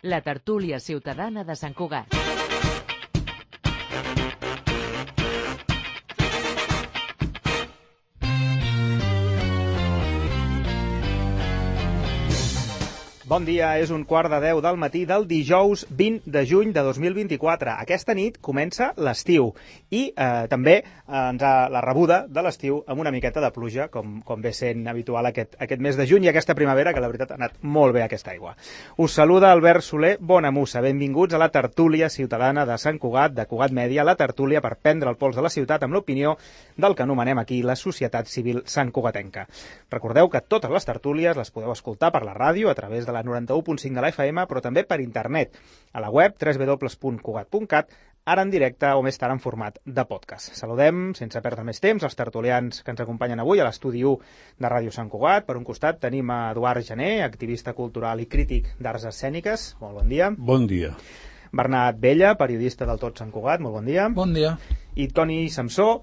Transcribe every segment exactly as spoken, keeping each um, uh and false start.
la tertúlia ciutadana de Sant Cugat. Bon dia, és un quart de deu del matí del dijous vint de juny de dos mil vint-i-quatre. Aquesta nit comença l'estiu i eh, també eh, ens ha la rebuda de l'estiu amb una miqueta de pluja, com, com ve sent habitual aquest, aquest mes de juny i aquesta primavera, que la veritat ha anat molt bé aquesta aigua. Us saluda Albert Soler Bonamussa. Benvinguts a la tertúlia ciutadana de Sant Cugat, de Cugat Mèdia, la tertúlia per prendre el pols de la ciutat amb l'opinió del que anomenem aquí la societat civil santcugatenca. Recordeu que totes les tertúlies les podeu escoltar per la ràdio a través de la noranta-u punt cinc de la F M, però també per internet, a la web w w w punt cugat punt cat, ara en directe o més tard en format de podcast. Saludem, sense perdre més temps, els tertulians que ens acompanyen avui a l'estudi u de Ràdio Sant Cugat. Per un costat tenim a Eduard Gené, activista cultural i crític d'arts escèniques. Molt bon dia. Bon dia. Bernat Bella, periodista del Tot Sant Cugat. Molt bon dia. Bon dia. I Toni Samsó,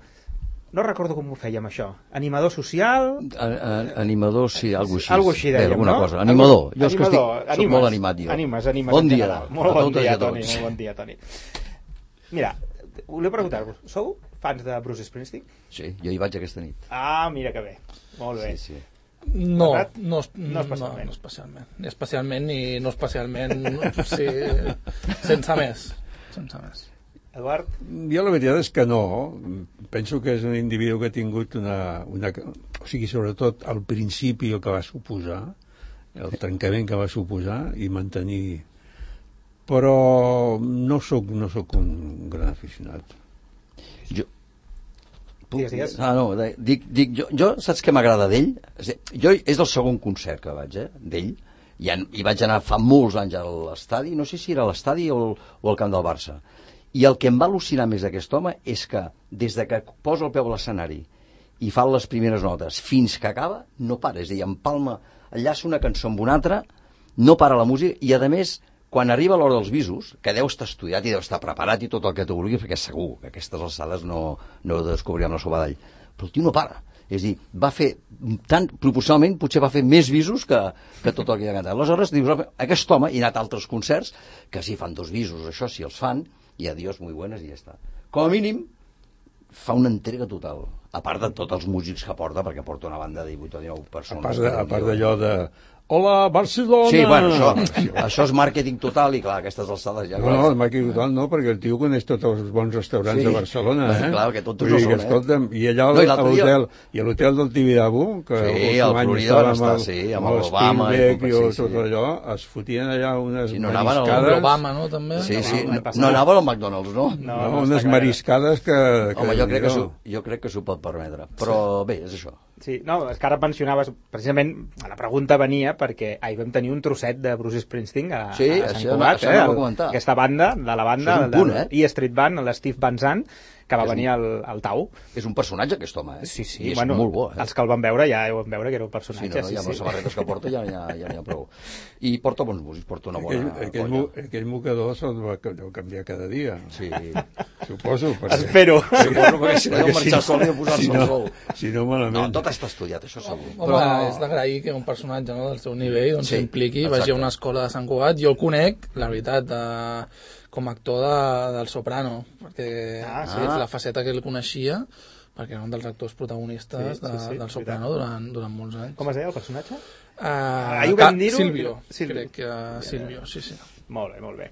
no recordo com ho fèiem, això. Animador social... A, a, animador, sí, alguna cosa així. Algo així dèiem, Bé, alguna no? cosa. Animador. Jo és que Animador. estic, Animes. soc molt animat, jo. Animes, animes. Bon dia. Molt bon dia, A Toni. tots. Molt bon dia, Toni. Mira, volia preguntar-vos, sou fans de Bruce Springsteen? Sí, jo hi vaig aquesta nit. Ah, mira que bé. Molt bé. Sí, sí. No, Bernat? no, No especialment. No, no especialment. Ni especialment ni no especialment. Sí, sense més. Sense més. Eduard? Jo la veritat és que no. Penso que és un individu que ha tingut una... una o sigui, sobretot al principi el que va suposar, el trencament que va suposar i mantenir... Però no sóc, no sóc un gran aficionat. Jo... Digues, digues. Ah, no, dic, dic jo, jo saps què m'agrada d'ell? Jo és el segon concert que vaig, eh, d'ell, i, en, i vaig anar fa molts anys a l'estadi, no sé si era a l'estadi o, o al camp del Barça. I el que em va al·lucinar més d'aquest home és que des de que posa el peu a l'escenari i fa les primeres notes fins que acaba, no para. És a dir, empalma, enllaça una cançó amb una altra, no para la música, i a més, quan arriba l'hora dels bisos, que deu estar estudiat i deu estar preparat i tot el que tu vulguis, perquè segur que aquestes alçades no, no ho descobrirem la sopa d'all. Però el tio no para. És a dir, va fer, tant, proporcionalment, potser va fer més bisos que, que tot el que hi ha cantat. Aleshores, dius, aquest home, i ha anat a altres concerts, que sí, fan dos bisos, això sí els fan, i adiós, muy buenas, i ja està. Com a mínim, fa una entrega total. A part de tots els músics que porta, perquè porta una banda de divuit o dinou persones. A part d'allò de... Hola, Barcelona! Sí, bueno, això, això és màrqueting total i, clar, aquestes alçades ja... No, no, el màrqueting total no, perquè el tio coneix tots els bons restaurants sí. de Barcelona, eh? Clar, que tots no són, escolta'm, eh? I allà no, a l'hotel, i a l'hotel del Tibidabo, que sí, el Florida van estar, sí, amb l'Obama i, i tot sí, sí. allò, es fotien allà unes sí, no mariscades... Amb l'Obama, no, també? Sí, sí, no, no anava al McDonald's, no? No, no, no unes mariscades que... que Home, jo crec que, jo crec que s'ho pot permetre, però bé, és això. Sí, no, és que ara mencionaves, precisament, la pregunta venia perquè ahir vam tenir un trosset de Bruce Springsteen a, sí, a Sant això, Cugat, això eh? no el, aquesta banda, de la banda, és un punt, eh? E Street Band, l'Steve Van Zandt, que va venir al, al Tau. És un personatge, aquest home, eh? Sí, sí, i és bueno, molt bo, eh? Els que el van veure ja ho van veure que era un personatge. Sí, no, no, sí, ja amb sí. les samarretes que porta ja n'hi ha, ja ha prou. I porta bons músics, porta una bona aquell, aquell, mo, aquell mocador se'l va canviar cada dia. Sí. Suposo. Perquè... Espero. Suposo perquè si no deu marxar sol i posar-se si al no, sol. Si no, malament. No, tot està estudiat, això segur. Home, Però... és d'agrair que un personatge, no, del seu nivell doncs, sí, s'impliqui, exacte. vagi a una escola de Sant Cugat. Jo el conec, la veritat, de... com a actor de, del Soprano, perquè ah, sí, és la faceta que el coneixia, perquè era un dels actors protagonistes sí, sí, sí, de, del Soprano durant, durant molts anys. Com es deia el personatge? Uh, Ahir ho vam dir-ho? Silvio, Silvio. crec que uh, Silvio, sí, sí. Molt bé, molt bé.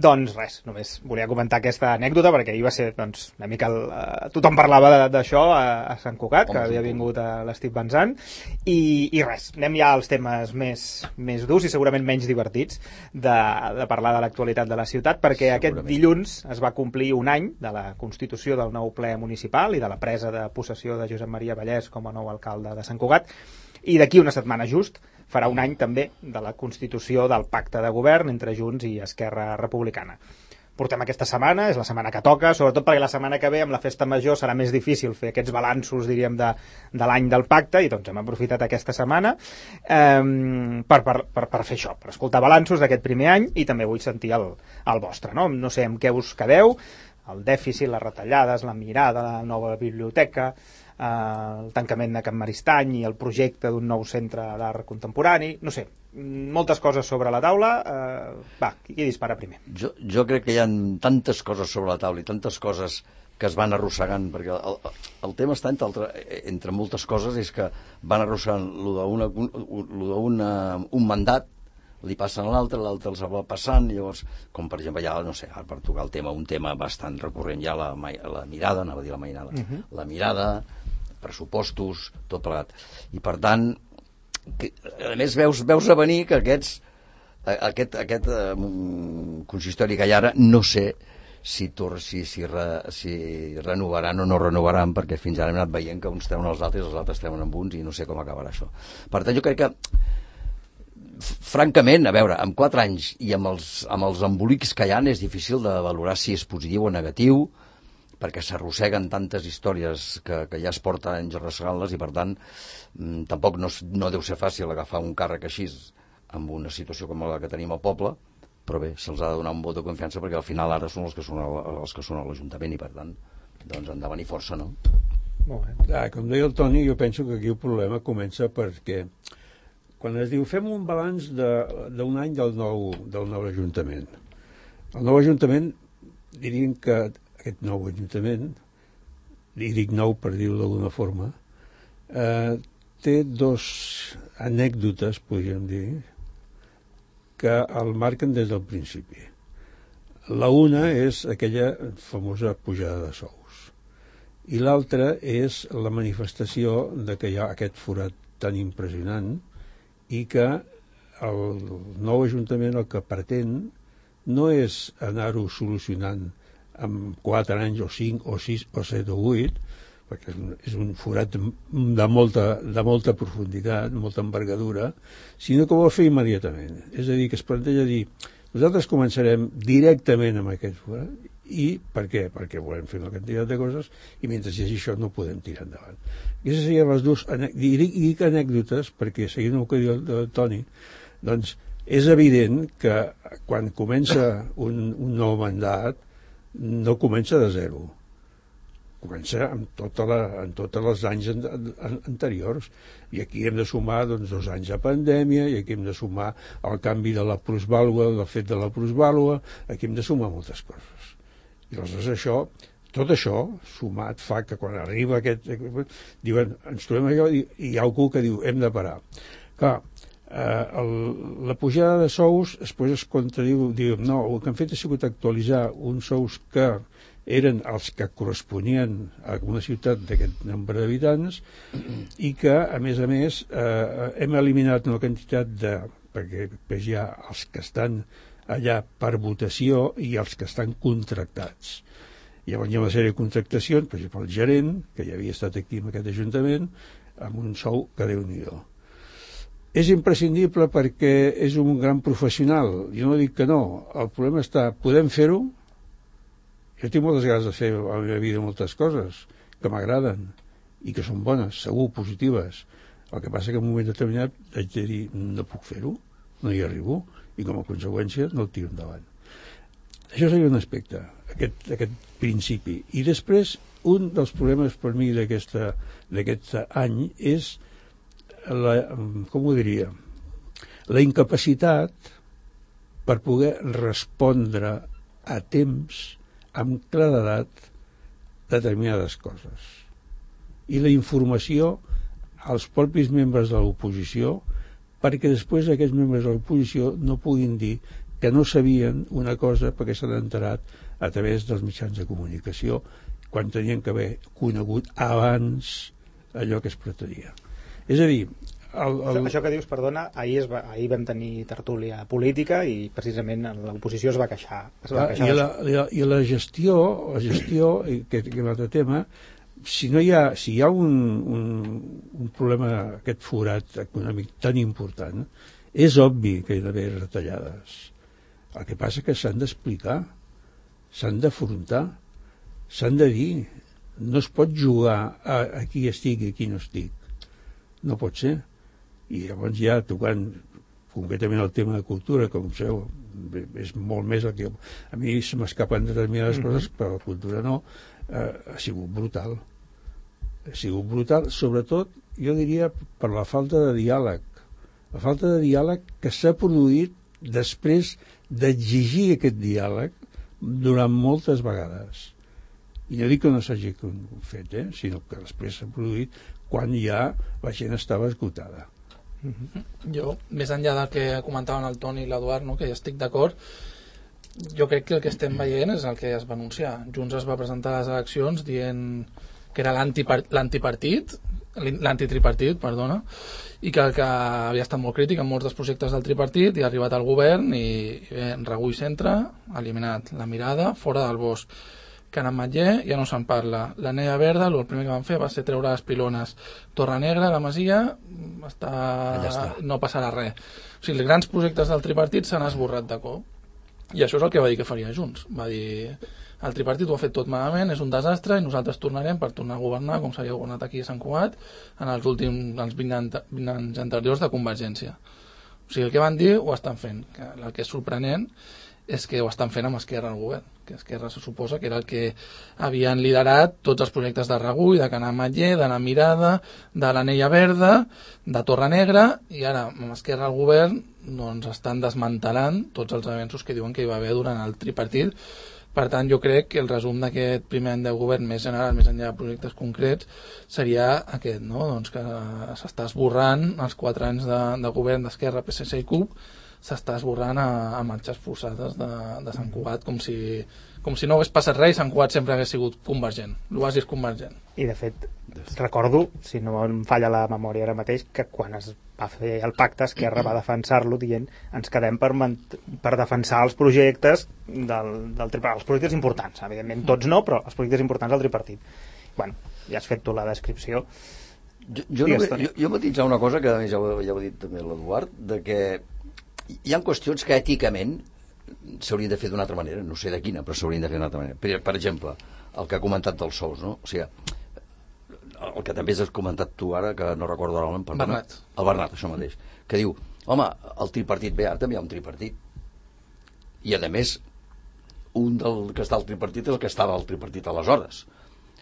Doncs res, només volia comentar aquesta anècdota perquè ahir va ser, doncs, una mica el, uh, tothom parlava d'això a, a Sant Cugat, que havia vingut a l'Steve Van Zandt, i, i res, anem ja als temes més, més durs i segurament menys divertits de, de parlar de l'actualitat de la ciutat, perquè aquest dilluns es va complir un any de la constitució del nou ple municipal i de la presa de possessió de Josep Maria Vallès com a nou alcalde de Sant Cugat, i d'aquí una setmana just farà un any també de la constitució del pacte de govern entre Junts i Esquerra Republicana. Portem aquesta setmana, és la setmana que toca, sobretot perquè la setmana que ve amb la festa major serà més difícil fer aquests balanços, diríem, de, de l'any del pacte, i doncs hem aprofitat aquesta setmana eh, per, per, per, per fer això, per escoltar balanços d'aquest primer any, i també vull sentir el, el vostre, no? No sé amb què us quedeu, el dèficit, les retallades, la mirada, la nova biblioteca, el tancament de Can Maristany i el projecte d'un nou centre d'art contemporani, no sé, moltes coses sobre la taula. Eh, va, qui dispara primer? Jo, jo crec que hi ha tantes coses sobre la taula i tantes coses que es van arrossegant, perquè el, el tema està entre, altre, entre moltes coses, és que van arrossegant lo d'una, lo d'una, un mandat, li passen a l'altre, l'altre els va passant, llavors, com per exemple ja, no sé, per tocar el tema, un tema bastant recurrent ja, la, la mirada, anava a dir la mainada, uh-huh. la mirada, pressupostos, tot plegat. I per tant, que, a més veus, veus a venir que aquests, aquest, aquest um, consistori que hi ha ara, no sé si, tor, si, si, re, si renovaran o no renovaran, perquè fins ara hem anat veient que uns treuen els altres i els altres treuen amb uns i no sé com acabarà això. Per tant, jo crec que francament, a veure, amb quatre anys i amb els, amb els embolics que hi ha és difícil de valorar si és positiu o negatiu, perquè s'arrosseguen tantes històries que, que ja es porten anys arrossegant-les i per tant mmm, tampoc no, no deu ser fàcil agafar un càrrec així amb una situació com la que tenim al poble, però bé, se'ls ha de donar un vot de confiança perquè al final ara són els que són, els que són a l'Ajuntament i per tant doncs han de venir força, no? Molt bé. Ah, com deia el Toni, jo penso que aquí el problema comença perquè quan es diu fem un balanç d'un any del nou, del nou Ajuntament. El nou Ajuntament, diríem que aquest nou Ajuntament, i dic nou per dir-ho d'alguna forma, eh, té dos anècdotes, podríem dir, que el marquen des del principi. La una és aquella famosa pujada de sous i l'altra és la manifestació de que hi ha aquest forat tan impressionant i que el nou Ajuntament el que pretén no és anar-ho solucionant en quatre anys o cinc o sis o set o vuit, perquè és un forat de molta, de molta profunditat, molta envergadura, sinó que ho vol fer immediatament. És a dir, que es planteja dir, nosaltres començarem directament amb aquest forat, i per què? Perquè volem fer una quantitat de coses i mentre hi hagi això no podem tirar endavant. Aquestes serien les dues, i dic anècdotes perquè, seguint el que diu el Toni, doncs és evident que quan comença un, un nou mandat no comença de zero, comença amb, tota la, amb tots els anys an, an, anteriors, i aquí hem de sumar doncs, dos anys de pandèmia, i aquí hem de sumar el canvi de la plusvàlua, del fet de la plusvàlua, aquí hem de sumar moltes coses. I aleshores això, tot això sumat fa que quan arriba aquest, diuen, ens trobem allò i hi ha algú que diu hem de parar. Clar, eh, el, la pujada de sous després es contradiu, diu, no, el que han fet ha sigut actualitzar uns sous que eren els que corresponien a una ciutat d'aquest nombre d'habitants i que, a més a més, eh, hem eliminat una quantitat de... perquè després hi ha els que estan allà per votació i els que estan contractats. Llavors hi ha una sèrie de contractacions, per exemple, el gerent, que ja havia estat aquí en aquest Ajuntament, amb un sou que Déu-n'hi-do. És imprescindible perquè és un gran professional. Jo no dic que no. El problema està, podem fer-ho? Jo tinc moltes ganes de fer a la meva vida moltes coses que m'agraden i que són bones, segur, positives. El que passa que en un moment determinat haig de dir, no puc fer-ho, no hi arribo, i com a conseqüència no el tiro endavant. Això seria un aspecte, aquest, aquest principi. I després, un dels problemes per mi d'aquest any és la, com ho diria, la incapacitat per poder respondre a temps amb claredat determinades coses. I la informació als propis membres de l'oposició perquè després aquests membres de l'oposició no puguin dir que no sabien una cosa perquè s'han enterat a través dels mitjans de comunicació quan tenien que haver conegut abans allò que es pretenia. És a dir, El, el... Això que dius, perdona, ahir, es va, ahir vam tenir tertúlia política i precisament l'oposició es va queixar. Es va queixar I, la, la, I la gestió, la gestió que, que és un altre tema, si, no hi ha, si hi ha un, un, un problema, aquest forat econòmic tan important, és obvi que hi ha d'haver retallades. El que passa que s'han d'explicar, s'han d'afrontar, s'han de dir. No es pot jugar a, a qui estic i a qui no estic. No pot ser. I llavors ja tocant concretament el tema de cultura, com sabeu, és molt més el que... A mi se m'escapen determinades mm-hmm. coses, però la cultura no, eh, ha sigut brutal. ha sigut brutal, sobretot, jo diria, per la falta de diàleg. La falta de diàleg que s'ha produït després d'exigir aquest diàleg durant moltes vegades. I no dic que no s'hagi fet, eh? Sinó que després s'ha produït quan ja la gent estava esgotada. Mm-hmm. Jo, més enllà del que comentaven el Toni i l'Eduard, no, que ja estic d'acord, jo crec que el que estem veient és el que es va anunciar. Junts es va presentar a les eleccions dient que era l'antipartit, l'antitripartit, perdona, i que, que havia estat molt crític en molts dels projectes del tripartit i ha arribat al govern i, i bé, Regull centre, eliminat la mirada, fora del bosc. Can Ametller ja no se'n parla. La Nella Verda, el primer que van fer va ser treure les pilones. Torre Negra, la Masia, està... està. No passarà res. O sigui, els grans projectes del tripartit s'han esborrat de cop. I això és el que va dir que faria Junts. Va dir, el tripartit ho ha fet tot malament, és un desastre i nosaltres tornarem per tornar a governar com s'havia governat aquí a Sant Cugat en els últims els vint anys anteriors de Convergència. O sigui, el que van dir ho estan fent. El que és sorprenent és que ho estan fent amb Esquerra al govern, que Esquerra se suposa que era el que havien liderat tots els projectes de Regull, de Can Ametller, de la Mirada, de la Nella Verda, de Torre Negra, i ara amb Esquerra al govern doncs estan desmantelant tots els avenços que diuen que hi va haver durant el tripartit. Per tant, jo crec que el resum d'aquest primer any de govern més general, més enllà de projectes concrets, seria aquest, no? Doncs que s'està esborrant els quatre anys de, de govern d'Esquerra, P S C i C U P, s'està esborrant a, a marxes forçades de, de Sant Cugat, com si, com si no hagués passat res i Sant Cugat sempre hagués sigut convergent, l'oasi és convergent. I de fet, recordo, si no em falla la memòria ara mateix, que quan es va fer el pacte Esquerra va defensar-lo dient ens quedem per, per defensar els projectes del, del tripartit, els projectes importants, evidentment tots no, però els projectes importants del tripartit. Bueno, ja has fet tu la descripció. Jo, jo, no, jo, jo matitzar una cosa que a més ja ho, ja ho ha dit també l'Eduard, de que hi ha qüestions que èticament s'haurien de fer d'una altra manera, no sé de quina, però s'haurien de fer d'una altra manera. Per, per exemple, el que ha comentat dels sous, no? O sigui, el que també has comentat tu ara, que no recordo ara el nom, Bernat. El Bernat, això mateix, que diu, home, el tripartit bé, ara també hi ha un tripartit. I a més, un del que està al tripartit és el que estava al tripartit aleshores.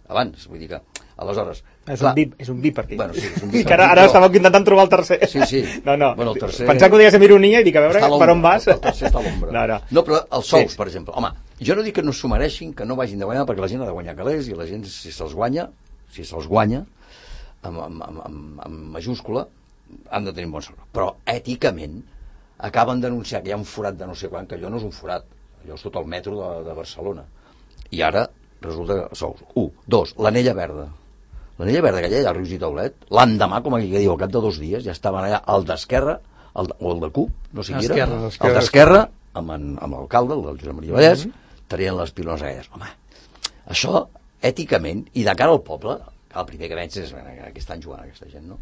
Abans, vull dir que, aleshores... És clar, un, bi, és un bipartit. Bueno, sí, és un bipartit. Que ara, ara estàveu intentant trobar el tercer. Sí, sí. No, no. Bueno, el tercer... Pensava que ho deies amb ironia i dic, a veure per on vas. El tercer està a l'ombra. No, no. no, però els sous, Sí. per exemple. Home, jo no dic que no s'ho mereixin, que no vagin de guanyar, perquè la gent ha de guanyar calés i la gent, si se'ls guanya, si se'ls guanya, amb, amb, amb, amb, amb majúscula, han de tenir un bon sou. Però, èticament, acaben d'anunciar que hi ha un forat de no sé quan, que allò no és un forat, allò és tot el metro de, de Barcelona. I ara resulta que sous. Un. Dos. L'Anella Verda. L'Anella Verda, que allà al Rius i Taulet, l'endemà, com aquí que diu, al cap de dos dies, ja estaven allà el d'Esquerra, el de, o el de C U P, no sé qui era, el d'Esquerra, amb, en, amb l'alcalde, el del Josep Maria Vallès, mm-hmm. tenien les pilones aquelles. Home, això, èticament, i de cara al poble, el primer que veig és que estan jugant aquesta gent, no?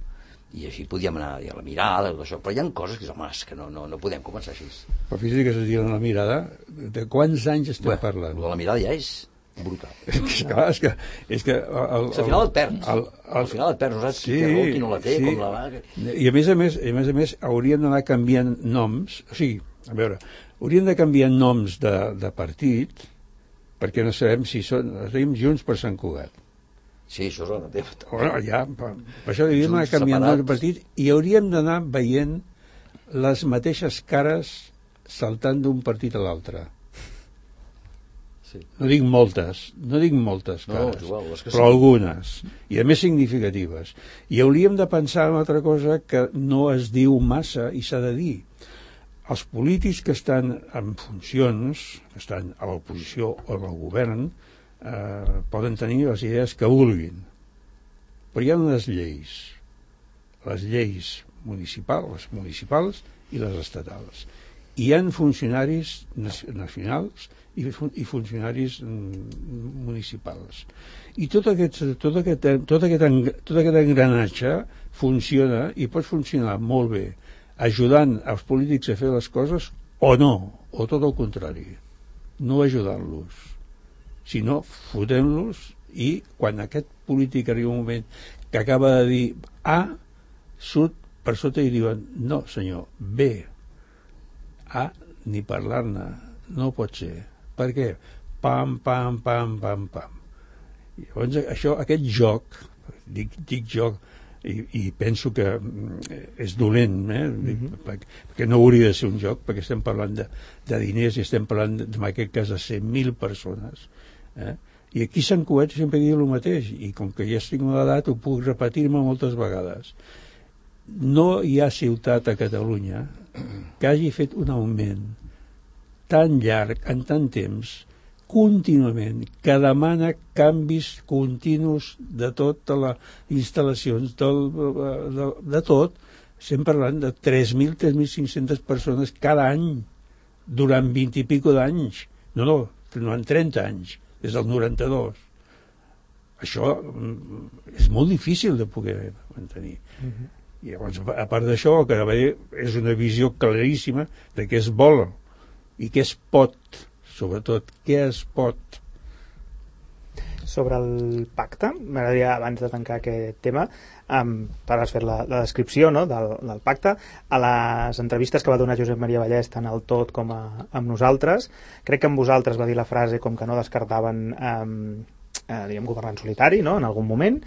I així podíem anar a la mirada, tot això. Però hi ha coses que, home, és que no, no, no podem començar així. Però fíjate que es diuen la mirada, de quants anys estem bueno, parlant? La mirada ja és brutal. És que, és que, és que el, el, al final et perds. El, el, al final et perds, no saps sí, qui té raó, qui no la té, sí. com la va... I a més a més, a més, a més hauríem d'anar canviant noms, o sigui, a veure, hauríem de canviar noms de, de partit, perquè no sabem si són, es deim Junts per Sant Cugat. Sí, això és el mateix. Bueno, ja, per, per això hauríem d'anar canviant noms de partit i hauríem d'anar veient les mateixes cares saltant d'un partit a l'altre. Sí. No dic moltes, no dic moltes cares, no, igual, que però sí. algunes, i a més significatives. I hauríem de pensar en altra cosa que no es diu massa i s'ha de dir. Els polítics que estan en funcions, que estan a l'oposició o al govern, eh, poden tenir les idees que vulguin. Però hi ha unes lleis, les lleis municipals, les municipals i les estatals. Hi ha funcionaris nacionals i, fun i funcionaris municipals. I tot aquest, tot, aquest, tot, aquest, tot aquest engranatge funciona i pot funcionar molt bé ajudant els polítics a fer les coses o no, o tot el contrari, no ajudant-los, sinó fotent-los i quan aquest polític arriba un moment que acaba de dir A, surt per sota i diuen no senyor, B, A, ni parlar-ne, no pot ser. Per què? Pam, pam, pam, pam, pam. Llavors, això, aquest joc, dic, dic jo, i, i penso que és dolent, eh? Mm-hmm. perquè, perquè no hauria de ser un joc, perquè estem parlant de, de diners i estem parlant, de, en aquest cas, de cent mil persones. Eh? I aquí a Sant Cugat sempre diu el mateix, i com que ja estic a l'edat ho puc repetir-me moltes vegades. No hi ha ciutat a Catalunya que hagi fet un augment tan llarg, en tant temps, contínuament, que demana canvis continus de totes les instal·lacions, del, de, de tot. Estem parlant de tres mil, tres mil cinc-centes persones cada any, durant vint i pico d'anys. No, no, durant trenta anys, des del noranta-dos. Això és molt difícil de poder mantenir. Uh-huh. I llavors, a part d'això, el que va dir és una visió claríssima de què es vol i què es pot, sobretot, què es pot. Sobre el pacte, m'agradaria, abans de tancar aquest tema, um, per has fet la, la descripció, no?, del, del pacte. A les entrevistes que va donar Josep Maria Vallès, tant al Tot com a, amb nosaltres, crec que amb vosaltres va dir la frase com que no descartaven um, eh, diguem, governar en solitari, no?, en algun moment,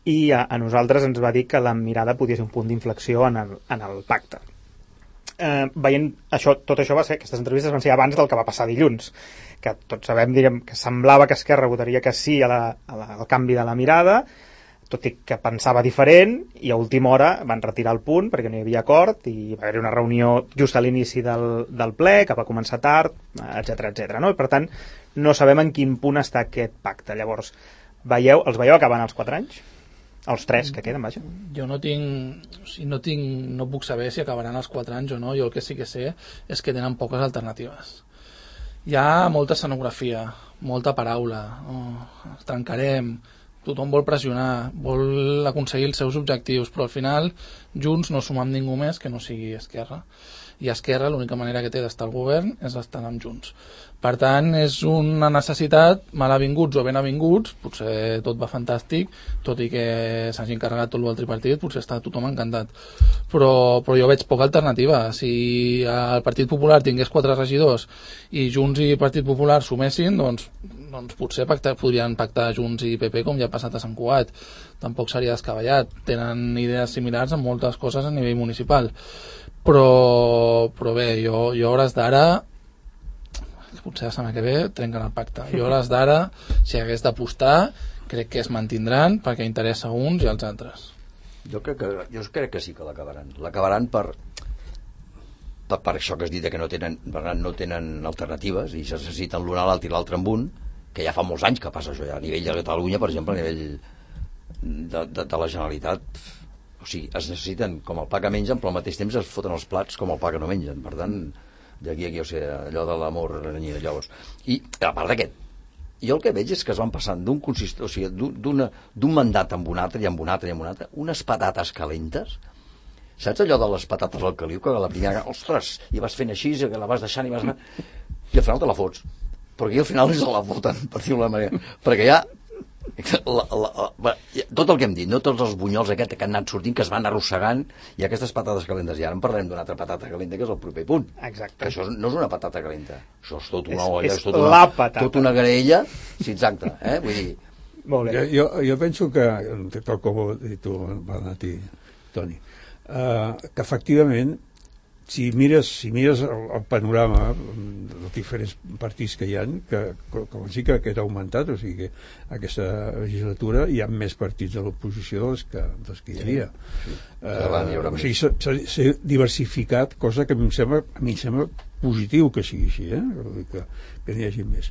i a, a nosaltres ens va dir que la mirada podia ser un punt d'inflexió en el, en el pacte. Eh, veient això, tot això va ser, aquestes entrevistes van ser abans del que va passar dilluns, que tots sabem, diguem, que semblava que Esquerra votaria que sí a la, a la, al canvi de la mirada, tot i que pensava diferent, i a última hora van retirar el punt perquè no hi havia acord, i va haver una reunió just a l'inici del, del ple, que va començar tard, etcètera, etcètera, no? I per tant, no sabem en quin punt està aquest pacte. Llavors, veieu, els veieu acabant els quatre anys? Els tres que queden, vaja. Jo no tinc, o sigui, no tinc, no puc saber si acabaran els quatre anys o no. Jo el que sí que sé és que tenen poques alternatives. Hi ha molta escenografia, molta paraula, oh, trencarem, tothom vol pressionar, vol aconseguir els seus objectius, però al final Junts no suma amb ningú més que no sigui Esquerra. I Esquerra l'única manera que té d'estar al govern és estar amb Junts. Per tant, és una necessitat, malavinguts o benavinguts, potser tot va fantàstic, tot i que s'hagi encarregat tot el tripartit, potser està tothom encantat. Però, però jo veig poca alternativa. Si el Partit Popular tingués quatre regidors i Junts i Partit Popular sumessin, doncs, doncs potser pactar, podrien pactar Junts i P P com ja ha passat a Sant Cugat. Tampoc seria descabellat. Tenen idees similars en moltes coses a nivell municipal. Però, però bé, jo, jo a hores d'ara, potser la setmana que ve trenquen el pacte. Jo a hores d'ara, si hagués d'apostar, crec que es mantindran perquè interessa a uns i als altres. Jo crec que, jo crec que sí que l'acabaran. L'acabaran per, per, per això que has dit que no tenen, no tenen alternatives i se necessiten l'un a l'altre i l'altre amb un, que ja fa molts anys que passa això ja, a nivell de Catalunya, per exemple, a nivell de, de, de la Generalitat. O sigui, es necessiten com el pa que mengen, però al mateix temps es foten els plats com el pa que no mengen. Per tant, d'aquí a aquí, o sigui, allò de l'amor renyida, llavors. I a part d'aquest, jo el que veig és que es van passant d'un consist... o sigui, d'un mandat amb un altre i amb un altre i amb un altre, unes patates calentes. Saps allò de les patates al caliu, que la primera, ostres, i vas fent així, que la vas deixant i vas anar... I al final te la fots. Perquè al final se la foten, per dir-ho d'una manera. Perquè ja... La, la, la, tot el que hem dit, no tots els bunyols aquest que han anat sortint, que es van arrossegant, i aquestes patates calentes, i ara en parlarem d'una altra patata calenta, que és el proper punt. Exacte. Que això no és una patata calenta, això és tot una és, olla, és, és tot una, tot una graella, sí, exacte, eh? Vull dir... Molt bé. Jo, jo, jo penso que, tal com ho has dit tu, Bernat i Toni, uh, que efectivament, si mires, si mires el, el panorama dels diferents partits que hi ha, que, com sí que aquest ha augmentat, o sigui que aquesta legislatura hi ha més partits de l'oposició dels que, dels que hi havia. Sí, sí. Uh, o sigui, s'ha diversificat, cosa que a mi em sembla, a mi em sembla positiu que sigui així, eh? que, que n'hi hagi més.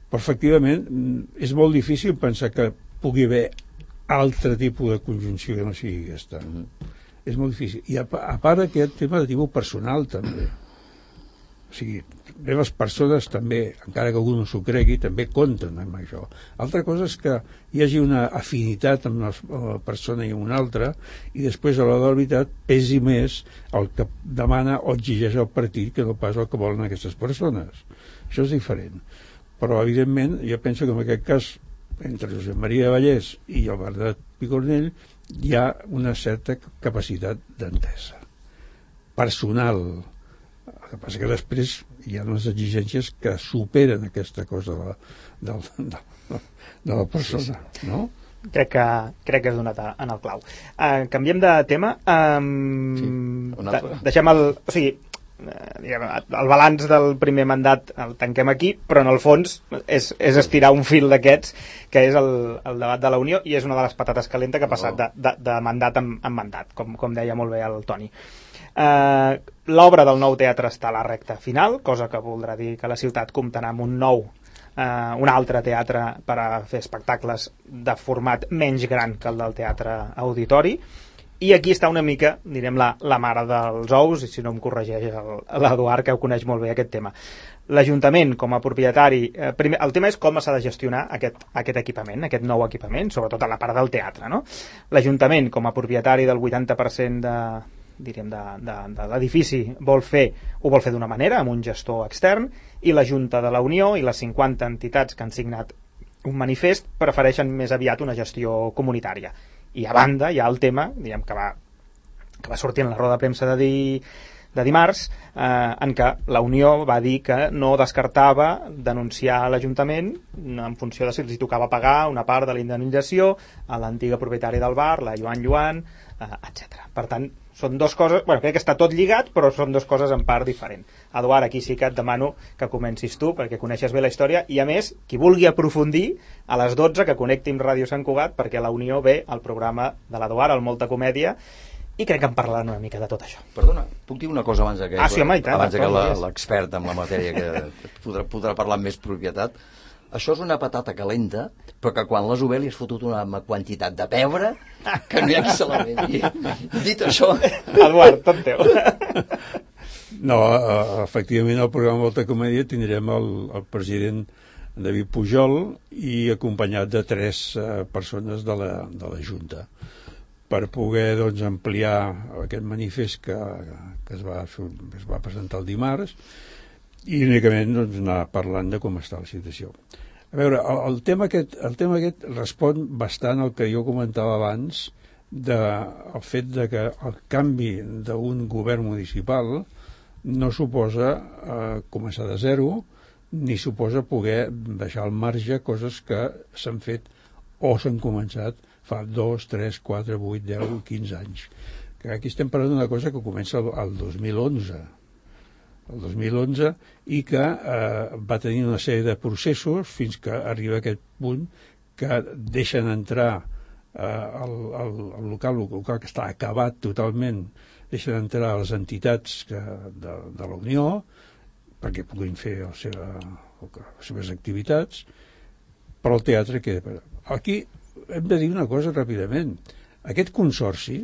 Però efectivament és molt difícil pensar que pugui haver altre tipus de conjunció que no sigui aquesta. Mm-hmm. És molt difícil. I a, a part aquest tema de tipus personal també. O sigui, bé, les persones també, encara que algú no s'ho cregui, també compten amb això. Altra cosa és que hi hagi una afinitat amb una persona i amb una altra, i després a l'hora de la veritat pesi més el que demana o exigeix el partit que no pas el que volen aquestes persones. Això és diferent. Però evidentment jo penso que en aquest cas entre Josep Maria Vallès i el Bernat Picornell hi ha una certa capacitat d'entesa personal. El que passa que després hi ha unes exigències que superen aquesta cosa de la, de, de, de la persona, no? crec que, crec que has donat en el clau. Uh, canviem de tema. Um, sí, un altre. De, deixem el... O sigui, diguem, el balanç del primer mandat el tanquem aquí, però en el fons és, és estirar un fil d'aquests, que és el, el debat de la Unió, i és una de les patates calentes que ha passat de, de, de mandat en, en mandat, com, com deia molt bé el Toni. Uh, l'obra del nou teatre està a la recta final, cosa que voldrà dir que la ciutat comptarà amb un nou Uh, un altre teatre per a fer espectacles de format menys gran que el del teatre auditori, i aquí està una mica, direm, la, la mare dels ous, i si no em corregeix l'Eduard, que ho coneix molt bé aquest tema. L'Ajuntament, com a propietari, eh, primer, el tema és com s'ha de gestionar aquest, aquest equipament, aquest nou equipament, sobretot a la part del teatre, no? L'Ajuntament, com a propietari del vuitanta per cent de, diríem, de, de, de l'edifici, vol fer, ho vol fer d'una manera, amb un gestor extern, i la Junta de la Unió i les cinquanta entitats que han signat un manifest prefereixen més aviat una gestió comunitària. I a banda hi ha el tema, diguem, que va, que va sortir en la roda de premsa de, di, de dimarts, eh, en què la Unió va dir que no descartava denunciar a l'Ajuntament en funció de si els tocava pagar una part de la indemnització a l'antiga propietària del bar, la Joan Joan, eh, etcètera. Per tant, són dues coses, bueno, crec que està tot lligat, però són dues coses en part diferent. Eduard, aquí sí que et demano que comencis tu, perquè coneixes bé la història, i a més, qui vulgui aprofundir, a les dotze que connecti amb Ràdio Sant Cugat, perquè la Unió ve al programa de l'Eduard, el Molta Comèdia, i crec que en parlaran una mica de tot això. Perdona, puc dir una cosa abans de que, ah, sí, home, i tant, abans de que la, l'expert en la matèria que podrà, podrà parlar amb més propietat? Això és una patata calenta, però que quan l'has obert li has fotut una quantitat de pebre que no hi ha qui se la vegi. Dit això... Eduard, tot teu. No, efectivament al programa Volta Comèdia tindrem el, el president David Pujol i acompanyat de tres uh, persones de la, de la Junta per poder, doncs, ampliar aquest manifest que, que es, va, es va presentar el dimarts i únicament, doncs, anar parlant de com està la situació. A veure, el, el, tema aquest, el tema aquest respon bastant al que jo comentava abans del de, fet de que el canvi d'un govern municipal no suposa eh, començar de zero ni suposa poder deixar al marge coses que s'han fet o s'han començat fa dos, tres, quatre, vuit, deu, quinze anys. Que aquí estem parlant d'una cosa que comença el, el dos mil onze el dos mil onze i que eh, va tenir una sèrie de processos fins que arriba a aquest punt que deixen entrar eh, el, el, el local, el local que està acabat totalment, deixen entrar les entitats que, de, de la Unió perquè puguin fer el seva, les seves activitats, però el teatre queda... Aquí hem de dir una cosa ràpidament. Aquest consorci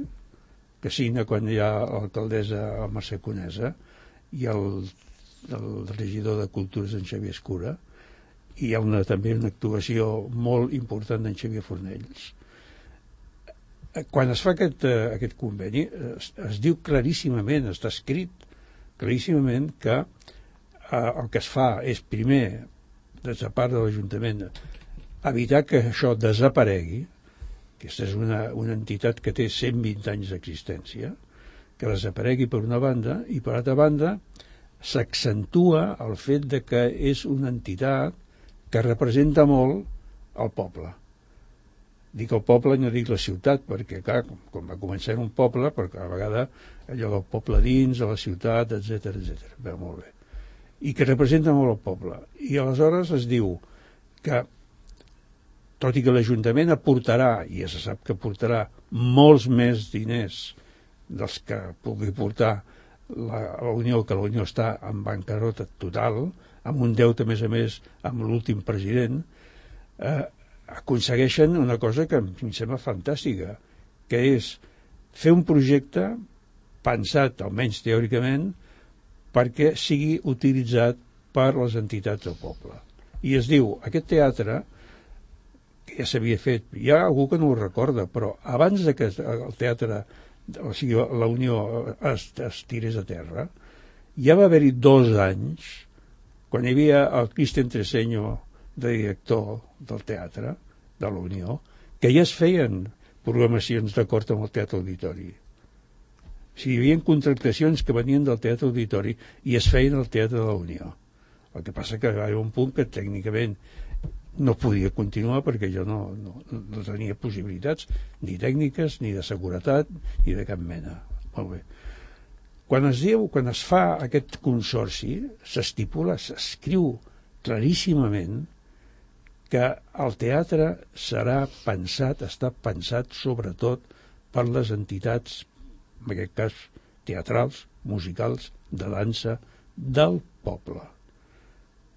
que signa quan hi ha l'alcaldessa Mercè Conesa i el, el regidor de Cultures en Xavier Escura, i hi ha una, també una actuació molt important d'en Xavier Fornells. Quan es fa aquest, uh, aquest conveni es, es diu claríssimament, està escrit claríssimament que uh, el que es fa és primer, des de part de l'Ajuntament, evitar que això desaparegui. Aquesta és una, una entitat que té cent vint anys d'existència, que desaparegui per una banda, i per altra banda s'accentua el fet de que és una entitat que representa molt el poble. Dic el poble i no dic la ciutat, perquè clar, com va començar en un poble, perquè a vegades allò del poble dins, de la ciutat, etcètera, etcètera. Bé, molt bé. I que representa molt el poble. I aleshores es diu que, tot i que l'Ajuntament aportarà, i ja se sap que aportarà molts més diners dels que pugui portar la, la Unió, que la Unió està en bancarrota total, amb un deute, a més a més, amb l'últim president, eh, aconsegueixen una cosa que em sembla fantàstica, que és fer un projecte pensat, almenys teòricament, perquè sigui utilitzat per les entitats del poble. I es diu, aquest teatre, que ja s'havia fet, hi ha algú que no ho recorda, però abans de que el teatre, o sigui, la Unió es, es tirés a terra, ja va haver-hi dos anys, quan hi havia el Cristian Treseño de director del teatre, de la Unió, que ja es feien programacions d'acord amb el Teatre Auditori. O sigui, hi havia contractacions que venien del Teatre Auditori i es feien al Teatre de la Unió. El que passa que hi ha un punt que tècnicament no podia continuar perquè jo no, no, no tenia possibilitats ni tècniques, ni de seguretat, ni de cap mena. Molt bé. Quan es diu, quan es fa aquest consorci, s'estipula, s'escriu claríssimament que el teatre serà pensat, està pensat sobretot per les entitats, en aquest cas teatrals, musicals, de dansa, del poble.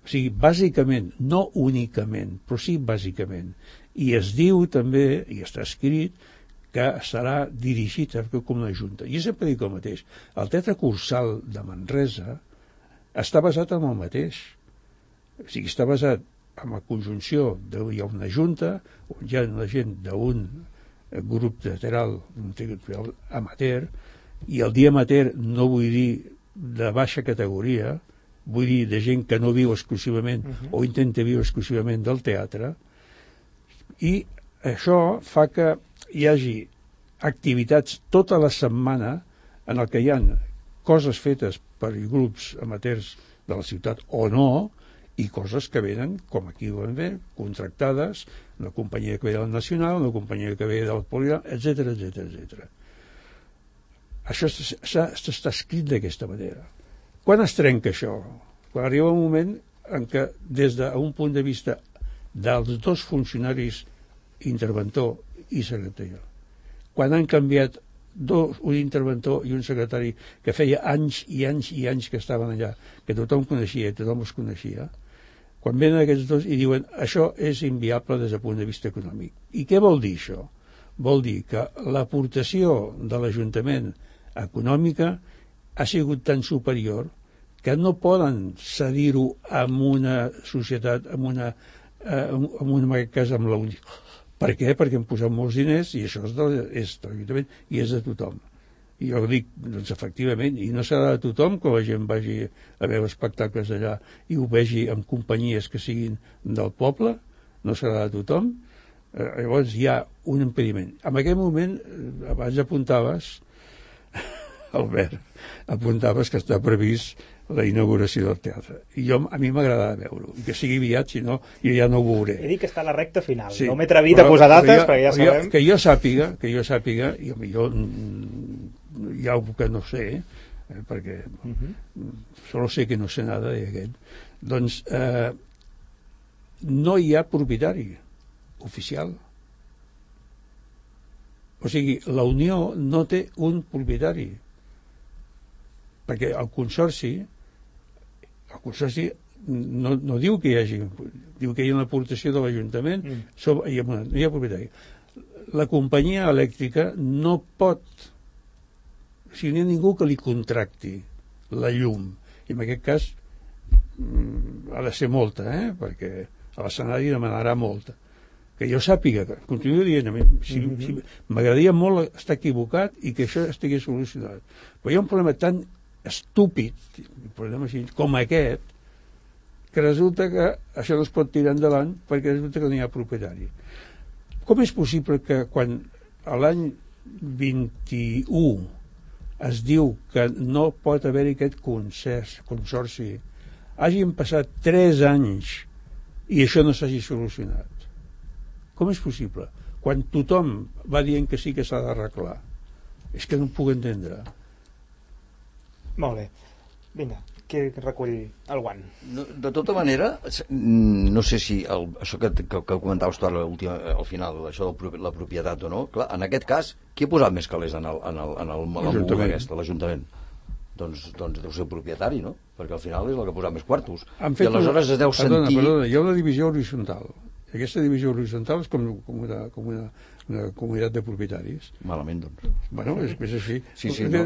O sigui, bàsicament, no únicament, però sí bàsicament. I es diu també, i està escrit, que serà dirigit com una junta. I sempre dic el mateix. El Teatre Cursal de Manresa està basat en el mateix. O sigui, està basat en la conjunció de hi ha una junta, on hi ha la gent d'un grup teatral, d'un teatral amateur, i el dia amateur no vull dir de baixa categoria, vull dir de gent que no viu exclusivament uh-huh. o intenta viure exclusivament del teatre, i això fa que hi hagi activitats tota la setmana en el que hi ha coses fetes per grups amateurs de la ciutat o no, i coses que venen, com aquí ho vam ver, contractades, una companyia que ve del Nacional, una companyia que ve del Poligrama, etcètera, etcètera, etcètera. Això està escrit d'aquesta manera. Quan es trenca això? Quan arriba un moment en què, des d'un punt de vista dels dos funcionaris, interventor i secretari, quan han canviat dos, un interventor i un secretari que feia anys i anys i anys que estaven allà, que tothom coneixia i tothom els coneixia, quan venen aquests dos i diuen això és inviable des del punt de vista econòmic. I què vol dir això? Vol dir que l'aportació de l'Ajuntament econòmica ha sigut tan superior que no poden cedir-ho amb una societat, amb una, eh, amb una, en aquest cas, amb la Unió. Per què? Perquè hem posat molts diners i això és de, és de l'Ajuntament i és de tothom. I jo dic, doncs efectivament, i no serà de tothom que la gent vagi a veure espectacles allà i ho vegi amb companyies que siguin del poble, no serà de tothom. Eh, llavors hi ha un impediment. En aquell moment, abans apuntaves, Albert, apuntaves que està previst la inauguració del teatre. I jo, a mi m'agrada veure-ho, i que sigui aviat, si no, jo ja no ho veuré. He dit que està a la recta final. Sí, no m'he atrevit a posar dates, jo, perquè ja sabem... Jo, que jo sàpiga, que jo sàpiga, i millor hi ha algú que no sé, eh, perquè uh-huh. solo sé que no sé nada d'aquest, doncs eh, no hi ha propietari oficial. O sigui, la Unió no té un propietari, perquè el consorci el consorci no, no diu que hi hagi, diu que hi ha una aportació de l'Ajuntament, mm. sobre, no hi ha propietari. La companyia elèctrica no pot, o sigui, no hi ha ningú que li contracti la llum, i en aquest cas mm, ha de ser molta, eh? Perquè a l'escenari demanarà molta. Que jo sàpiga, que continuo dient, si, mm-hmm. si m'agradaria molt estar equivocat i que això estigui solucionat. Però hi ha un problema tan estúpid, així, com aquest, que resulta que això no es pot tirar endavant perquè resulta que no hi ha propietari. Com és possible que quan a l'any vint-i-u es diu que no pot haver-hi aquest concert, consorci, hagin passat tres anys i això no s'hagi solucionat? Com és possible? Quan tothom va dient que sí que s'ha d'arreglar. És que no ho puc entendre. Molt bé. Vinga, qui recull el guant? No, de tota manera, no sé si el, això que, que, que comentaves tu ara al final, això de la propietat o no, clar, en aquest cas, qui ha posat més calés en el, en el, en el, en el moguda aquesta, l'Ajuntament? Doncs, doncs deu ser el propietari, no? Perquè al final és el que ha posat més quartos. I aleshores es deu sentir... Perdona, perdona, hi ha una divisió horitzontal. Aquesta divisió horitzontal és com, com, una, com una, una comunitat de propietaris. Malament, doncs. Bueno, és, és així. Sí, sí, no?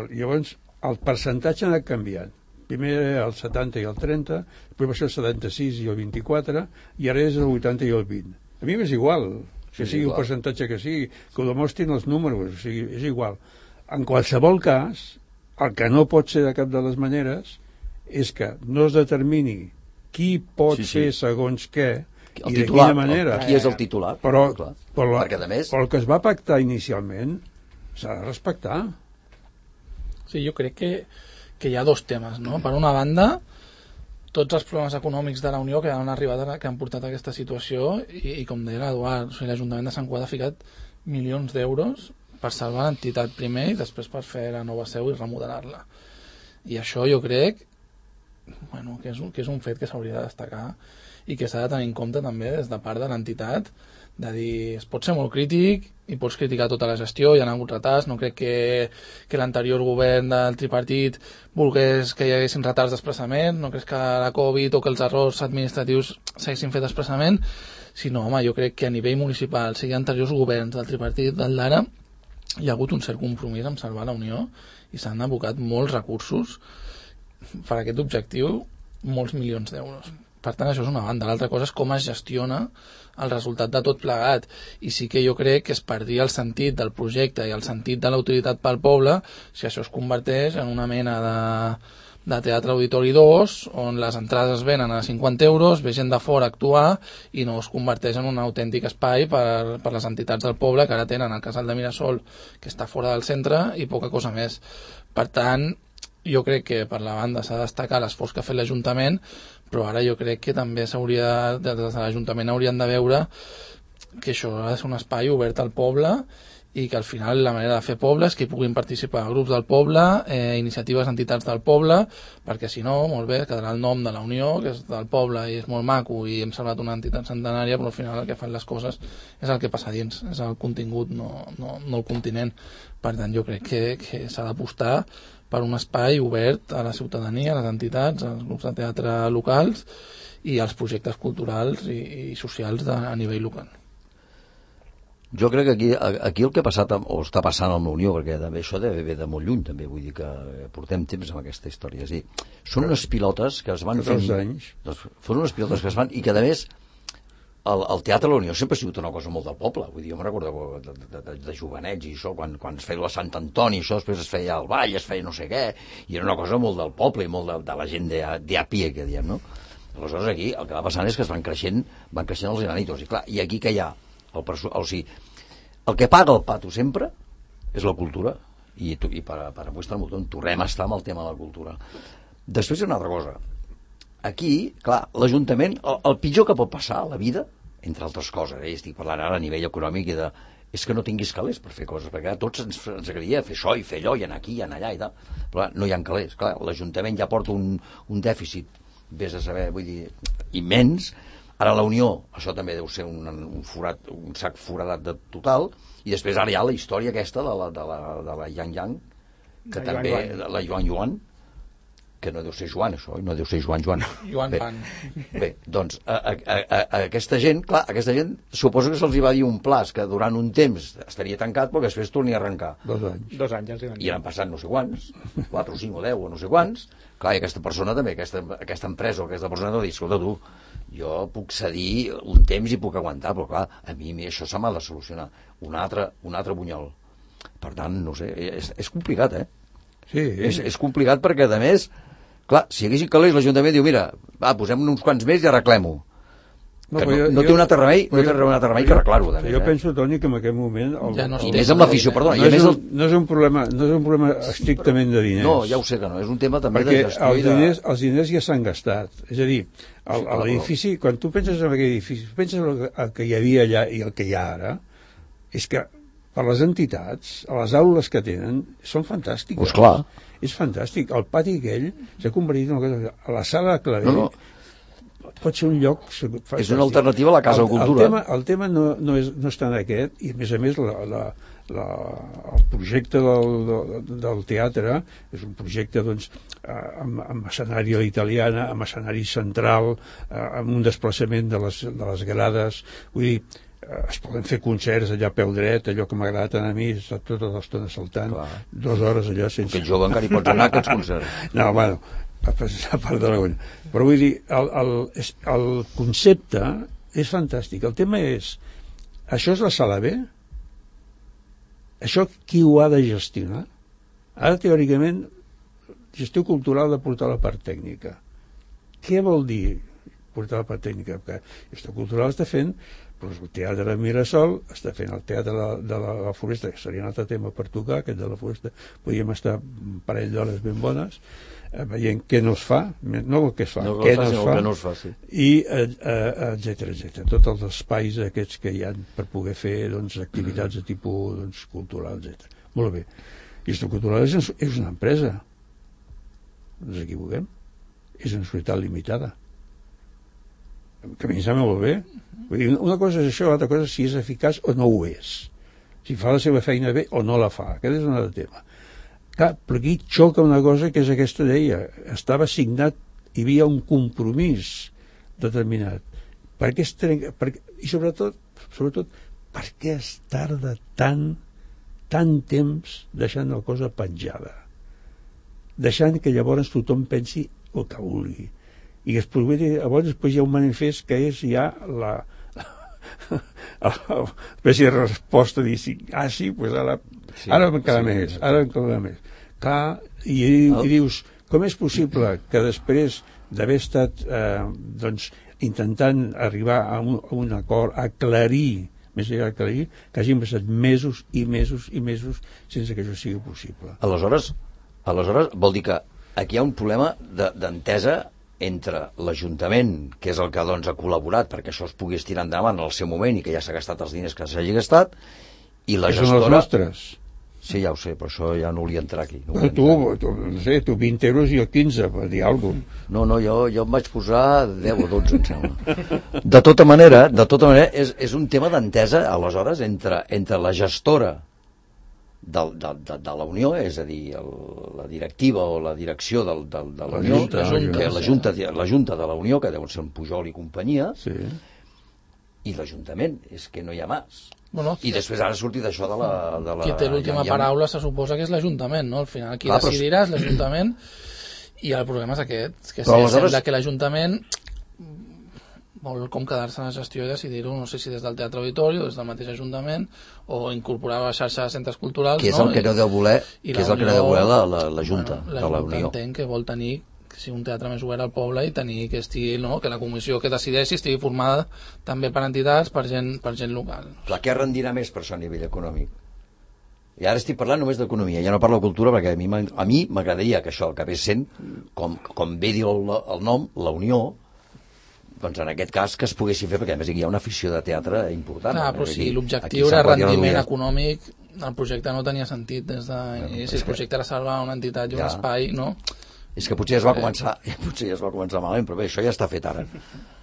Llavors, el percentatge ha anat canviant. Primer era el setanta i el trenta, després va ser el setanta-sis i el vint-i-quatre, i ara és el vuitanta i el vint. A mi m'és igual, que sí, sigui igual. El percentatge que sigui, que ho demostrin els números, o sigui, és igual. En qualsevol cas, el que no pot ser de cap de les maneres és que no es determini qui pot sí, sí. fer segons què, el i titular, de quina manera. Qui és el titular? Però, clar. però, la, Perquè, a més... però el que es va pactar inicialment s'ha de respectar. Sí, jo crec que, que hi ha dos temes, no? Per una banda, tots els problemes econòmics de la Unió que han arribat a, que han portat a aquesta situació i, i com deia l'Eduard, o sigui, l'Ajuntament de Sant Cugat ha ficat milions d'euros per salvar l'entitat primer i després per fer la nova seu i remodelar-la. I això jo crec bueno, que, és un, que és un fet que s'hauria de destacar i que s'ha de tenir en compte també des de part de l'entitat, de dir, es pot ser molt crític i pots criticar tota la gestió, hi ha hagut retards, no crec que, que l'anterior govern del tripartit volgués que hi haguessin retards d'expressament, no crec que la Covid o que els errors administratius s'haguessin fet expressament, sinó, home, jo crec que a nivell municipal, sigui anteriors governs del tripartit, del d'ara, hi ha hagut un cert compromís amb salvar la Unió i s'han abocat molts recursos per a aquest objectiu, molts milions d'euros. Per tant, això és una banda. L'altra cosa és com es gestiona el resultat de tot plegat. I sí que jo crec que es perdria el sentit del projecte i el sentit de la utilitat pel poble si això es converteix en una mena de, de teatre auditori dos, on les entrades es venen a cinquanta euros, ve gent de fora a actuar i no es converteix en un autèntic espai per, per les entitats del poble que ara tenen el casal de Mirasol, que està fora del centre, i poca cosa més. Per tant, jo crec que per la banda s'ha de destacar l'esforç que ha fet l'Ajuntament, però ara jo crec que també s'hauria, des de l'Ajuntament haurien de veure que això ha de ser un espai obert al poble i que al final la manera de fer poble és que hi puguin participar grups del poble, eh, iniciatives d'entitats del poble, perquè si no, molt bé, quedarà el nom de la Unió, que és del poble i és molt maco i hem salvat una entitat centenària, però al final el que fan les coses és el que passa dins, és el contingut, no, no, no el continent. Per tant, jo crec que, que s'ha d'apostar per un espai obert a la ciutadania, a les entitats, als grups de teatre locals i als projectes culturals i, i socials de, a nivell local. Jo crec que aquí, aquí el que ha passat o està passant amb la Unió, perquè també això deve ve de molt lluny, també vull dir que portem temps amb aquesta història. És dir, són unes pilotes que es van fent... anys. Són unes pilotes que es van... I que, a més, el, el Teatre de la Unió sempre ha sigut una cosa molt del poble. Vull dir, jo me'n recordo de, de, de, de jovenets i això, quan, quan es feia la Sant Antoni, això, després es feia el ball, es feia no sé què, i era una cosa molt del poble i molt de, de la gent de, de a pie, que diem, no? Aleshores, aquí el que va passant és que es van creixent, van creixent els enanitos. I clar, i aquí que hi ha? El, o sigui, el que paga el pato sempre és la cultura. I, i per, per apostar el motor, tornem a estar amb el tema de la cultura. Després hi ha una altra cosa. Aquí, clar, l'Ajuntament, el, el pitjor que pot passar a la vida, entre altres coses, eh, estic parlant ara a nivell econòmic, i de, és que no tinguis calés per fer coses, perquè a tots ens, ens agradaria fer això i fer allò, i anar aquí i anar allà i tal, però no hi ha calés. Clar, l'Ajuntament ja porta un, un dèficit, vés a saber, vull dir, immens. Ara la Unió, això també deu ser un, un, forat, un sac foradat de total, i després ara hi ha la història aquesta de la, de la, de la Yang Yang, que la també, Yuan Yuan. la Yuan Yuan, que no deu ser Joan, això, no deu ser Joan Joan. Joan bé, Pan. Bé, doncs, a, a, a, a aquesta gent, clar, aquesta gent, suposo que se'ls hi va dir un plaç que durant un temps estaria tancat, però que després torni a arrencar. Dos anys. Dos anys els hi van dir. I han passat no sé quants, quatre o cinc o deu o no sé quants. Clar, i aquesta persona també, aquesta, aquesta empresa o aquesta persona no dir, escolta tu, jo puc cedir un temps i puc aguantar, però clar, a mi, a mi això se m'ha de solucionar. Un altre, un altre bunyol. Per tant, no sé, és, és complicat, eh? Sí. És, és complicat perquè, a més, clar, si hi haguessin calés, l'Ajuntament diu, mira, va, posem uns quants més i arreglem-ho. No, no, jo, no té un altre remei, no té un altre remei que arreglar-ho. Jo eh? penso, Toni, que en aquest moment... El, ja no I més amb l'afició, perdona. No, I és més un, el... no, és un problema, no és un problema estrictament de diners. No, ja ho sé que no, és un tema també perquè de gestió els i de... diners, els diners ja s'han gastat. És a dir, l'edifici, quan tu penses en aquell edifici, penses en el que hi havia allà i el que hi ha ara, és que per les entitats, a les aules que tenen, són fantàstiques. Pues clar. És fantàstic. El pati aquell s'ha convertit en una cosa... A la sala de Clavell no, no. pot ser un lloc fantàstic. És una alternativa a la Casa el, de Cultura. El tema, el tema no, no, és, no està en aquest, i a més a més la, la, la, el projecte del, del, del teatre és un projecte doncs, amb, amb escenari a l'italiana, amb escenari central, amb un desplaçament de les, de les grades. Vull dir, es poden fer concerts allà a peu dret, allò que m'agrada tant a mi, està tota l'estona saltant, clar. Dues hores allò sense... Aquest jove encara hi pots anar a aquests concerts. No, bueno, a part de la una. Però vull dir, el, el, el concepte és fantàstic. El tema és, això és la sala B? Això qui ho ha de gestionar? Ara, teòricament, gestió cultural ha de portar la part tècnica. Què vol dir portar la part tècnica? Perquè gestió cultural està fent el Teatre de Mirasol està fent el Teatre de la, de la, la Floresta, que seria un altre tema per tocar, aquest de la Floresta, podríem estar un parell d'hores ben bones, eh, veient què no es fa, no el que es fa, no què no es fa, no es fa sí. i eh, eh, etcètera, etcètera. Tots els espais aquests que hi ha per poder fer doncs, activitats de tipus doncs, cultural, etcètera. Molt bé. I Gestió Cultural és, és una empresa. No ens equivoquem. És una societat limitada. Que a mi em sembla molt bé. Vull dir, una cosa és això, l'altra cosa és si és eficaç o no ho és. Si fa la seva feina bé o no la fa. Aquest és un altre tema. Clar, però aquí xoca una cosa que és aquesta deia. Estava signat, hi havia un compromís determinat. Per què es trenca? Per, I sobretot, sobretot, per què es tarda tant, tant temps deixant la cosa penjada? Deixant que llavors tothom pensi el que vulgui. I es provedi, llavors després hi ha un manifest que és ja la l'espècie de resposta dir sí, ah sí, doncs ara sí, ara encara sí, més, ara encara més clar, i, i dius com és possible que després d'haver estat eh, doncs intentant arribar a un, a un acord, aclarir més enllà d'aclarir, que hagin passat mesos i mesos i mesos sense que això sigui possible. Aleshores, aleshores vol dir que aquí hi ha un problema d'entesa de, entre l'Ajuntament, que és el que doncs, ha col·laborat perquè això es pugui estirar endavant en el seu moment i que ja s'ha gastat els diners que s'hagi gastat, i la que gestora... són els nostres. Sí, ja ho sé, però això ja no volia entrar aquí. No tu, tu, no sé, tu vint euros i jo quinze, per dir alguna cosa. No, no, jo, jo em vaig posar deu o dotze, em sembla. De tota manera, de tota manera és, és un tema d'entesa, aleshores, entre, entre la gestora de, de, de, de la Unió, és a dir, el, la directiva o la direcció del, del, de la Unió, Junta, la, Junta, la, Junta, la Junta de la Unió, que deuen ser en Pujol i companyia, sí. I l'Ajuntament, és que no hi ha més. Bueno, I després ara sortir d'això de la... De la qui té l'última ja, ja... paraula se suposa que és l'Ajuntament, no? Al final qui Clar, decidirà però... és l'Ajuntament, i el problema és aquest, que però si aleshores... sembla que l'Ajuntament vol com quedar-se en la gestió i decidir-ho, no sé si des del Teatre Auditori o des del mateix Ajuntament, o incorporar a la xarxa de centres culturals, que és no? el que no deu voler, que és el que no deu voler la, la, la Junta bueno, de la Unió. entenc que vol tenir que sigui un teatre més obert al poble i tenir que estigui, no? Que la comissió que decideixi estigui formada també per entitats, per gent, per gent local. Clar, què rendirà més per això a nivell econòmic? I ara estic parlant només d'economia, ja no parlo de cultura, perquè a mi a mi m'agradaria que això acabés sent, com, com bé diu el, el nom, la Unió, doncs en aquest cas que es poguessi fer, perquè a més hi ha una afició de teatre important. Clar, però si l'objectiu era rendiment econòmic, el projecte no tenia sentit des de... No, si el projecte era salvar una entitat i un ja. espai, no? És que potser ja es va començar, potser ja es va començar malament, però bé, això ja està fet ara.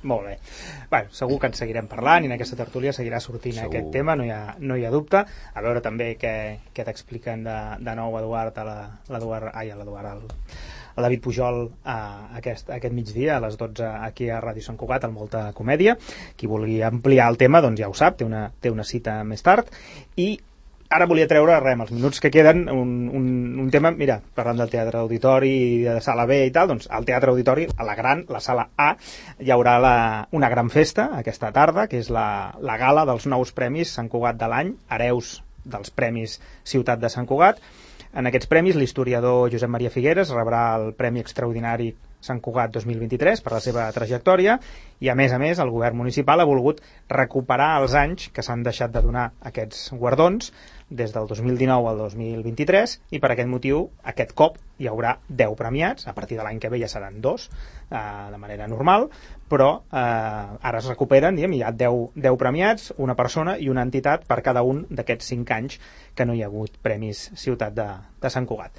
Molt bé. Bueno, segur que en seguirem parlant i en aquesta tertúlia seguirà sortint segur. Aquest tema, no hi ha, no hi ha dubte. A veure també què, què t'expliquen de, de nou Eduard, a la, l'Eduard, ai, l'Eduard, el, el David Pujol a aquest, a aquest migdia, a les dotze aquí a Ràdio Sant Cugat, al Molta Comèdia. Qui vulgui ampliar el tema, doncs ja ho sap, té una, té una cita més tard. I ara volia treure, rem, els minuts que queden, un, un, un tema, mira, parlant del Teatre Auditori i de Sala B i tal, doncs al Teatre Auditori, a la gran, la Sala A, hi haurà la, una gran festa aquesta tarda, que és la, la gala dels nous premis Sant Cugat de l'any, hereus dels Premis Ciutat de Sant Cugat. En aquests premis, l'historiador Josep Maria Figueres rebrà el Premi Extraordinari Sant Cugat dos mil vint-i-tres per la seva trajectòria i, a més a més, el govern municipal ha volgut recuperar els anys que s'han deixat de donar aquests guardons des del dos mil dinou al dos mil vint-i-tres i per aquest motiu, aquest cop, hi haurà deu premiats, a partir de l'any que ve ja seran dos, eh, de manera normal, però eh, ara es recuperen, diguem, hi ha deu, deu premiats, una persona i una entitat per cada un d'aquests cinc anys que no hi ha hagut Premis Ciutat de, de Sant Cugat.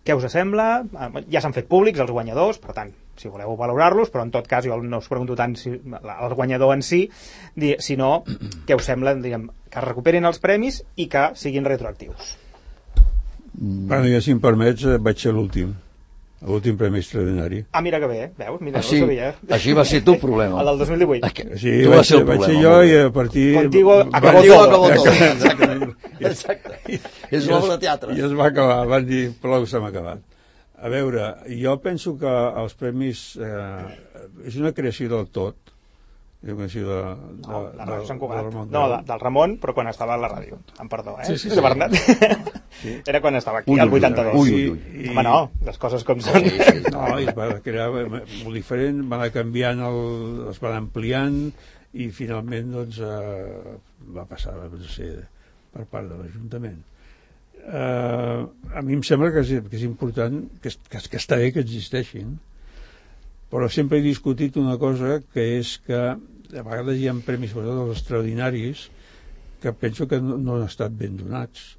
Què us sembla? Ja s'han fet públics els guanyadors, per tant, si voleu valorar-los, però en tot cas jo no us pregunto tant si el guanyador en si, sinó què us sembla, diguem, que es recuperin els premis i que siguin retroactius. Bueno, ja si em permets, vaig ser l'últim. L'últim premi extraordinari. Ah, mira que bé, veus? Mira, així, no ho sabia. Així va ser tu el problema. El del dos mil divuit. Sí, tu vaig, ser, vaig ser jo i a partir... Contigo acabó Contigo todo. Acabó todo. Exacte. Exacte. És l'obra de teatre. I es va acabar, van dir, prou s'ha acabat. A veure, jo penso que els premis eh, és una creació del tot. És una creació de, de, no, de Ràdio Sant Cugat. De no, de, del Ramon, però quan estava a la ràdio. Em perdó, eh? Sí, sí, sí. De Bernat. Sí. Era quan estava aquí, al vuitanta-dos. Ui, ui, ui. Home, no, les coses com són. Sí, sí. No, i es va crear molt diferent, van anar canviant, el, es van ampliant, i finalment doncs, eh, va passar a ser per part de l'Ajuntament. Eh, a mi em sembla que és, que és important, que, que, que està bé que existeixin, però sempre he discutit una cosa, que és que a vegades hi ha premis, sobretot els extraordinaris, que penso que no, no han estat ben donats,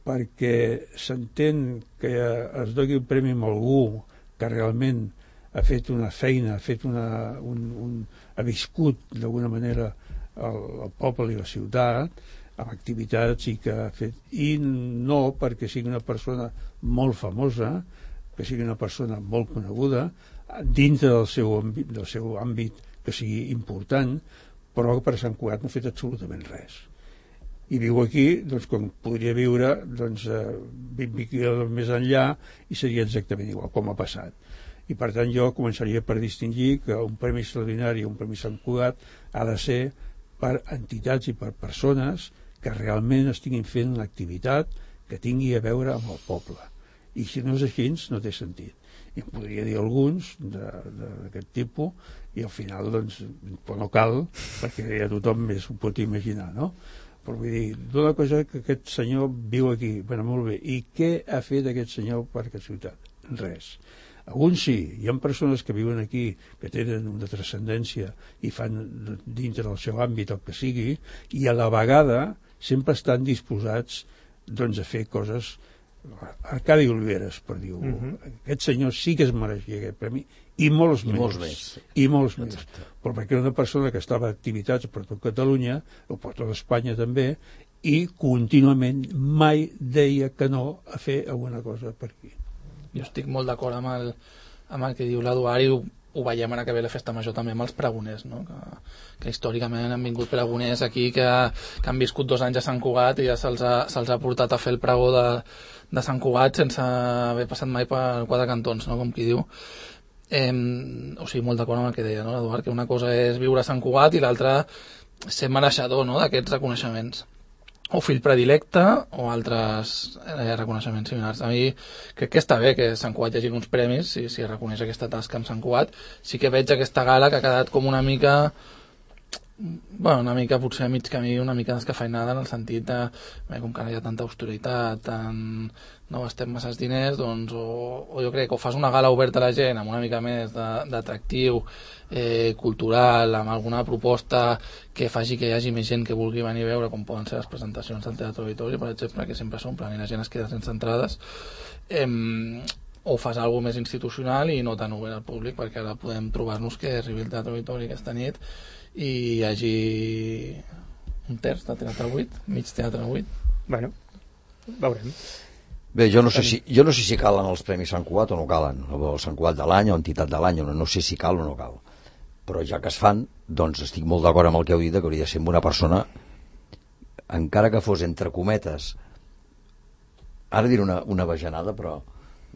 perquè s'entén que es doni un premi a algú que realment ha fet una feina, ha fet una, un, un, ha viscut d'alguna manera el, el poble i la ciutat, amb activitats i que ha fet, i no perquè sigui una persona molt famosa, que sigui una persona molt coneguda, dintre del seu àmbit, del seu àmbit que sigui important, però per Sant Cugat no ha fet absolutament res. I viu aquí, doncs, com podria viure doncs, vint quilòmetres més enllà i seria exactament igual com ha passat. I per tant jo començaria per distingir que un premi extraordinari, un premi Sant Cugat, ha de ser per entitats i per persones que realment estiguin fent una activitat que tingui a veure amb el poble. I si no és així, no té sentit. I em podria dir alguns d'aquest tipus, i al final, doncs, no cal, perquè ja tothom més ho pot imaginar, no? Però vull dir, d'una cosa que aquest senyor viu aquí, bueno, molt bé, i què ha fet aquest senyor per aquesta ciutat? Res. Alguns sí, hi ha persones que viuen aquí, que tenen una transcendència i fan dintre del seu àmbit el que sigui, i a la vegada sempre estan disposats doncs, a fer coses. Arcadi Oliveres, per dir-ho. Uh-huh. Aquest senyor sí que es mereixia aquest premi, i molts I més. Molts més. I molts més. Però perquè era una persona que estava a activitats per tot Catalunya, o per tot Espanya també, i contínuament mai deia que no a fer alguna cosa per aquí. Jo estic molt d'acord amb el, amb el que diu l'Eduard, i ho, ho veiem ara que ve la festa major també amb els pregoners, no? que, que històricament han vingut pregoners aquí que, que han viscut dos anys a Sant Cugat i ja se'ls ha, se'ls ha portat a fer el pregó de, de Sant Cugat sense haver passat mai per quatre cantons, no? Com qui diu. Eh, o sigui, molt d'acord amb el que deia, no, l'Eduard, que una cosa és viure a Sant Cugat i l'altra ser mereixedor, no?, d'aquests reconeixements, o fill predilecte o altres eh, reconeixements similars. A mi crec que està bé que a Sant Cugat hi hagi uns premis, si, si reconeix aquesta tasca amb Sant Cugat. Sí que veig aquesta gala que ha quedat com una mica, bueno, una mica potser a mig camí, una mica descafeinada en el sentit de, bé, com que ara hi ha tanta austeritat, tant, no gastem masses diners, doncs, o, o jo crec que o fas una gala oberta a la gent amb una mica més d'atractiu eh, cultural, amb alguna proposta que faci que hi hagi més gent que vulgui venir a veure, com poden ser les presentacions del Teatre Auditori, per exemple, que sempre s'omplen i la gent es queda sense entrades, eh, o fas alguna més institucional i no tan obert al públic, perquè ara podem trobar-nos que arribi el Teatre Auditori aquesta nit i hi hagi un terç de teatre buit, mig teatre buit. Bueno, veurem. Bé, jo no sé si, jo no sé si calen els Premis Sant Cugat o no calen, o el Sant Cugat de l'any o entitat de l'any, no, no sé si cal o no cal. Però ja que es fan, doncs estic molt d'acord amb el que heu dit, que hauria de ser una persona, encara que fos entre cometes, ara diré una, una bajanada, però...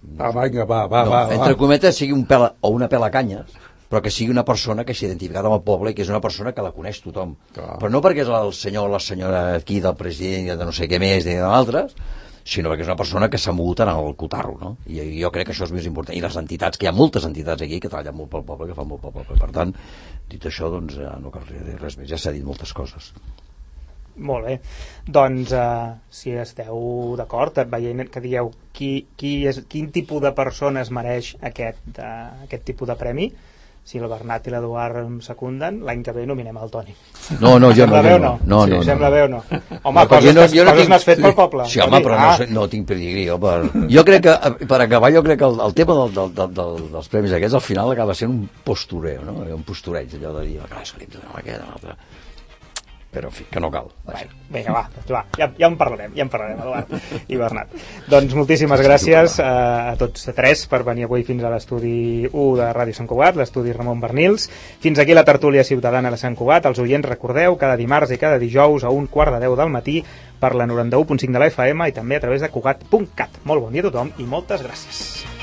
Va, va, va, va, no, va, entre va. cometes sigui un pela, o una pela canyes, però que sigui una persona que s'ha identificat amb el poble i que és una persona que la coneix tothom. Clar. Però no perquè és el senyor o la senyora aquí del president i de no sé què més ni d'altres, sinó perquè és una persona que s'ha mogut en el cotarro, no? I jo crec que això és més important. I les entitats, que hi ha moltes entitats aquí que treballen molt pel poble, que fan molt pel poble. Per tant, dit això, doncs no cal dir res més. Ja s'ha dit moltes coses. Molt bé. Doncs, uh, si esteu d'acord, veient que dieu qui, qui és, quin tipus de persona es mereix aquest, uh, aquest tipus de premi, si el Bernat i l'Eduard em secunden, l'any que ve nominem el Toni. No, no, jo sembla no. Bé o no, no? no, sí, no, sembla no. bé o no? Home, no, coses, no, no, no coses tinc... n'has fet pel poble. Sí, home, però ah. no, no tinc pedigrí. Jo, per... jo crec que, per acabar, jo crec que el, el tema del, del, del, del, dels premis aquests, al final acaba sent un postureo, no? Un postureig, allò de dir, clar, és que li hem de donar aquest, l'altre... Però, en fi, que no cal. Bueno, vinga, va, doncs va, ja, ja en parlarem, ja en parlarem, Eduard i Bernat. Doncs moltíssimes gràcies a, a tots tres per venir avui fins a l'estudi u de Ràdio Sant Cugat, l'estudi Ramon Bernils. Fins aquí la tertúlia ciutadana de Sant Cugat. Els oients, recordeu, cada dimarts i cada dijous a un quart de deu del matí per la noranta-u punt cinc de la F M i també a través de cugat punt cat. Molt bon dia a tothom i moltes gràcies.